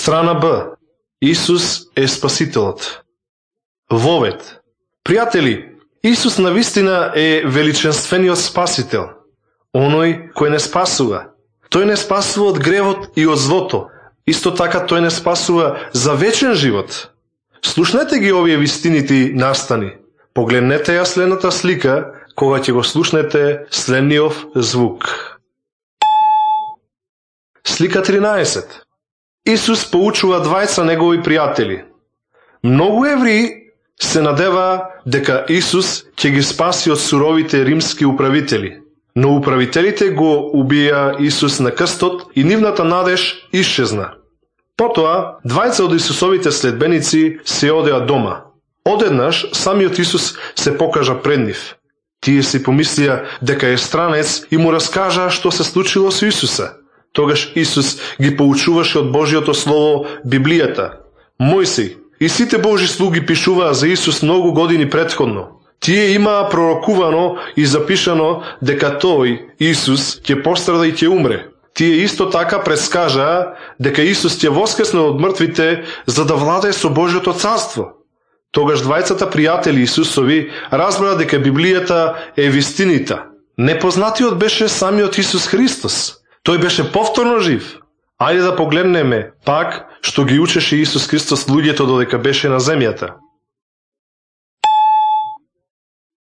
Страна Б. Исус е Спасителот. Вовед. Пријатели, Исус навистина е величенствениот Спасител, оној кој не спасува. Тој не спасува од гревот и од злото. Исто така тој не спасува за вечен живот. Слушнете ги овие вистините настани. Погледнете ја следната слика, кога ќе го слушнете следниот звук. Слика 13. Исус поучува двајца негови пријатели. Многу евреи се надева дека Исус ќе ги спаси од суровите римски управители, но управителите го убија Исус на крстот и нивната надеж исчезна. Потоа, двајца од Исусовите следбеници се одеа дома. Одеднаш, самиот Исус се покажа пред нив. Тие си помислија дека е странец и му раскажа што се случило со Исуса. Тогаш Исус ги поучуваше од Божјото Слово Библијата. Мојсей и сите Божи слуги пишуваа за Исус многу години претходно. Тие имаа пророкувано и запишано дека тој, Исус, ќе пострада и ќе умре. Тие исто така предскажаа дека Исус ќе воскресне од мртвите за да владее со Божјото царство. Тогаш двајцата пријатели Исусови разбраа дека Библијата е вистинита. Непознатиот беше самиот Исус Христос. Тој беше повторно жив. Ајде да погледнеме пак што ги учеше Исус Христос луѓето додека беше на земјата.